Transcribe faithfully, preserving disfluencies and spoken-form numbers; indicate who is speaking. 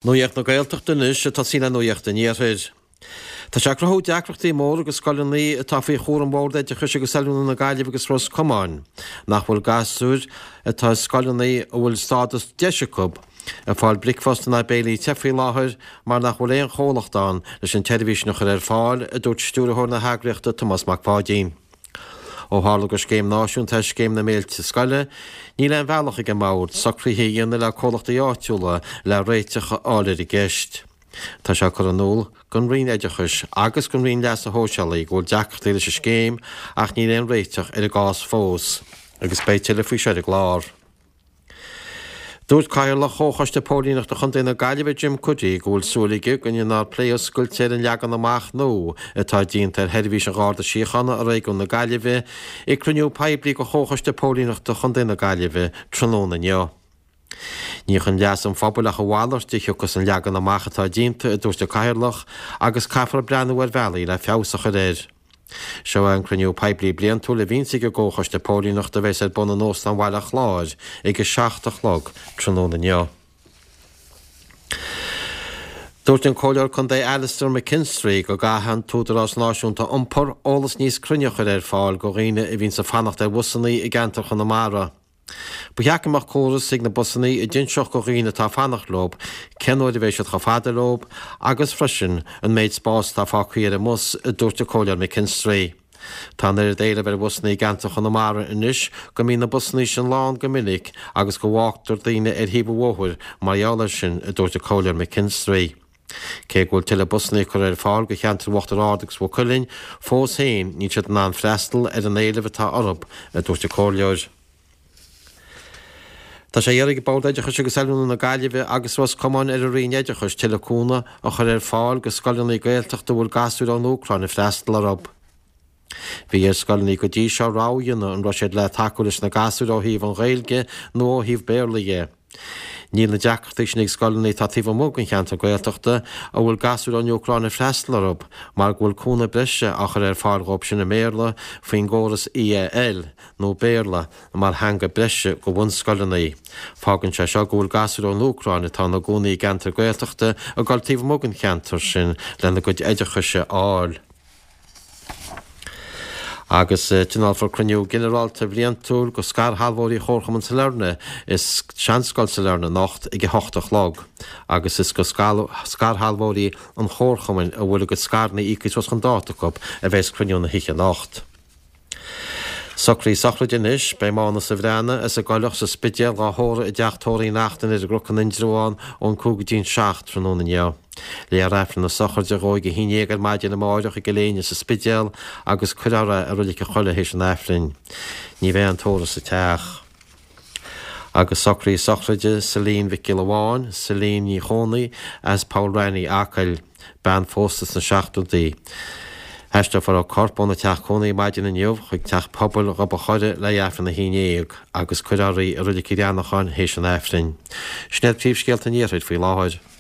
Speaker 1: Nuacht na Gaeltachta anois ag tosaí le Nuacht an Iarthair. Tá sé ag cruthú deacrachtaí móra go scoileanna atá faoi chúram Bhord Oideachais agus Oiliúna na Gaillimhe agus Ros Comáin, nach bhfuil gasúir atá i scoileanna a bhfuil stádas DEIS acu ag fáil bricfeasta ná béilí te faoi láthair mar nach bhfuil aon chomhlacht ann leis an tseirbhís sin a chur ar fáil, a dúirt stiúrthóir na heagraíochta Tomás Mac Pháidín. Ó tharla gur scéim náisiúnta é Scéim na Méilte Scoile, níl aon bhealach ag an mBord socruithe a dhéanamh le comhlachtaí áitiúla le réiteach a fháil ar an gceist. Tá sé curtha in iúl don Roinn Oideachais agus don Roinn Leasa Shóisialaigh go bhfuil deacrachtaí leis an scéim ach níl aon réiteach ar an gcás fós, agus beidh tuilleadh faoi seo ar an gclár. Dúirt Cathaoirleach Chomhchoiste Póilíneachta Chontae na Gaillimhe Jim Cuddy go bhfuil súil aige go ndéanfar plé oscailte ar an leagan amach nua atá déanta ar sheirbhís an Gharda Síochána i réigiún na Gaillimhe ag cruinniú poiblí de Chomhchoiste Póilíneachta Chontae na Gaillimhe tráthnóna inniu. Ní chun leas an phobail ach a mhalairt a thiocfas an leagan amach atá déanta, a dúirt an Cathaoirleach, agus caithfear breathnú ar bhealaí le feabhas a chur air. Seo é an cruinniú poiblí bliantúil a bhíonns ag an gComhchoiste Póilíneachta a bheas ar bun in Óstán Bhaile an Chláir ag a seacht a chlog tráthnóna inniu. Dúirt an Comhairleoir Contae Alastair McKinstry go gcaithfidh an tÚdarás Náisiúnta Iompair eolas níos cruinne a chur ar fáil go dhaoine a bhíonns ag fanacht ar bhusanna i gceantar Chonamara. Ba cheart go mbeadh córas ag na busanna a d'inseodh go dhaoine atá ag fanacht leo cén uair a bheidh siad chomh fada leo agus freisin an méid spáis atá fágtha ar an mbus, a dúirt an Comhairleoir McKinstry. Tá an oiread éilimh ar bhusanna i gceantar Chonamara anois go mbíonn na busanna sin lán go minic agus go bhfágtar daoine ar thaobh an bhóthair mar gheall air sin, a dúirt an Comhairleoir McKinstry. Cé go bhfuil tuilleadh busanna curtha ar fáil go cheantar Uachtar Ard agus Mhaigh Cuilinn, fós féin níl siad in ann freastal ar an éileamh atá orthu, a dúirt an Comhairleoir. Tá sé á iarraidh ag Bord Oideachais agus Oiliúna na Gaillimhe agus Ros Comáin ar an Roinn Oideachais tuilleadh cúnamh a chur ar fáil go scoileanna Gaeltachta a bhfuil gasúir ón Úcráin ag freastal orthu. Bhí ar scoileanna go dtí seo rogha a dhéanamh an raibh siad le tacú leis na gasúir ó thaobh an Ghaeilge nó ó thaobh Béarla dhe. Níl na deacrachtaí sin ag scoileanna atá taobh amuigh den cheantar Gaeltachta a bhfuil gasúir ón Úcráin ag freastal orthu mar go bhfuil cúnamh breise á chur ar fáil dhóibh sin i mBéarla faoin gcóras EAL nó Béarla mar theanga breise go bhunscoileanna. Fágann sé seo go bhfuil gasúir ón Úcráin atá ina gcónaí i gceantar Gaeltachta ag dul taobh amuigh den cheantar sin lena gcuid oideachais a fháil. Agus tionólfar cruinniú ginearálta bhliantúil go scairshealbhóirí Chomharchumann Sailearna i Seanscoil Sailearna anocht ag a hocht a chlog agus is go scairshealbhóirí an Chomharchumainn a bhfuil a gcuid scaireanna íoctha suas chun dáta acu a bheas cruinniú na hoíche anocht. Socruithe sochraide anois, beidh Mánas Ó Bhreathnaigh as an gCoileach sa Spidéal dhá thórramh i dteach tórraimh Uí Neachtain ar an gCnoc in Indreabhán ón cúig go dtí an seacht tráthnóna inniu. Léifear Aifreann na sochraide dhó ag a haon dhéag ar maidin amáireach i gCill Éinne sa Spidéal agus cuirfear é i Reilig an Choilligh théis an Aifrinn. Ní bheidh aon tórramh sa teach. Agus socruithe sochraide Celine Mhic Giolla Bháin, Celine Ní Chónaí, as Poll Raithní, Acaill, bean phósta sna seachtóidí. Aisteofar a corp óna teach cónaí maidin inniu chuig teach pobail Ghob an Choire le Aifreann a haon dhéag agus cuirfear í i Reilig an Ghránacháin théis an Aifrinn. Sin iad príomhscéalta an Iarthair faoi láthair.